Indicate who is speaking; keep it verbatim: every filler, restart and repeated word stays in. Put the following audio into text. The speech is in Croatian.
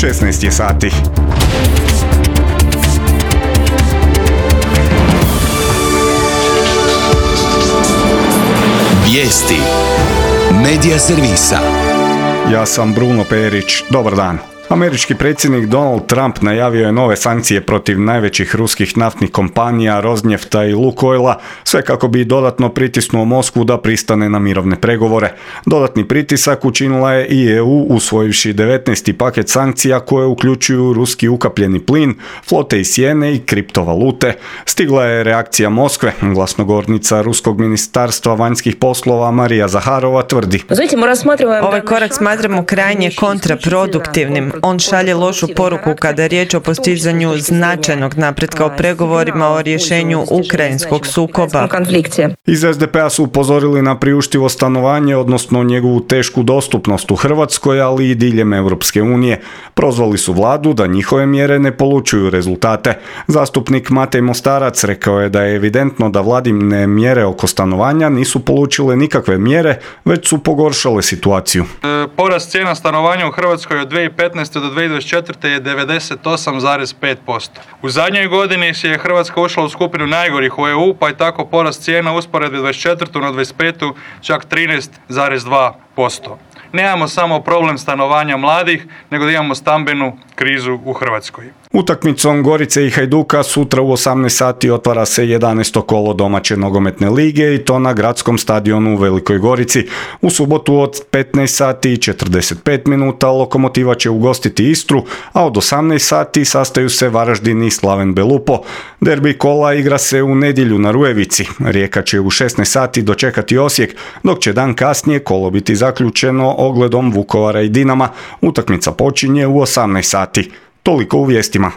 Speaker 1: šesnaest je sati.
Speaker 2: Vijesti Medija servisa.
Speaker 1: Ja sam Bruno Perić. Dobar dan. Američki predsjednik Donald Trump najavio je nove sankcije protiv najvećih ruskih naftnih kompanija Rosnefta i Lukoila, sve kako bi dodatno pritisnuo Moskvu da pristane na mirovne pregovore. Dodatni pritisak učinila je i E U usvojivši devetnaesti paket sankcija koje uključuju ruski ukapljeni plin, flote i sjene i kriptovalute. Stigla je reakcija Moskve. Glasnogovornica Ruskog ministarstva vanjskih poslova Marija Zaharova tvrdi:
Speaker 3: Ovaj korak smatramo krajnje kontraproduktivnim. On šalje lošu poruku kada je riječ o postizanju značajnog napretka u pregovorima o rješenju ukrajinskog sukoba.
Speaker 1: Iz S D P-a su upozorili na priuštivo stanovanje, odnosno njegovu tešku dostupnost u Hrvatskoj, ali i diljem Europske unije. Prozvali su vladu da njihove mjere ne polučuju rezultate. Zastupnik Matej Mostarac rekao je da je evidentno da vladine mjere oko stanovanja nisu polučile nikakve mjere, već su pogoršale situaciju.
Speaker 4: E, porast cijena stanovanja u Hrvatskoj od dvije tisuće petnaeste do dvije tisuće dvadeset četvrte je devedeset osam zarez pet posto. U zadnjoj godini je Hrvatska ušla u skupinu najgorih u E U, pa je tako porast cijena usporedbe dvadeset četvrtu na dvadeset petu čak trinaest zarez dva posto. Nemamo samo problem stanovanja mladih, nego da imamo stambenu krizu u Hrvatskoj.
Speaker 1: Utakmicom Gorice i Hajduka sutra u osamnaest sati otvara se jedanaesto kolo domaće nogometne lige i to na gradskom stadionu u Velikoj Gorici. U subotu od petnaest sati i četrdeset pet minuta Lokomotiva će ugostiti Istru, a od osamnaest sati sastaju se Varaždin i Slaven Belupo. Derbi kola igra se u nedjelju na Rujevici. Rijeka će u šesnaest sati dočekati Osijek, dok će dan kasnije kolo biti zaključeno ogledom Vukovara i Dinama. Utakmica počinje u osamnaest sati. Toliko u vijestima.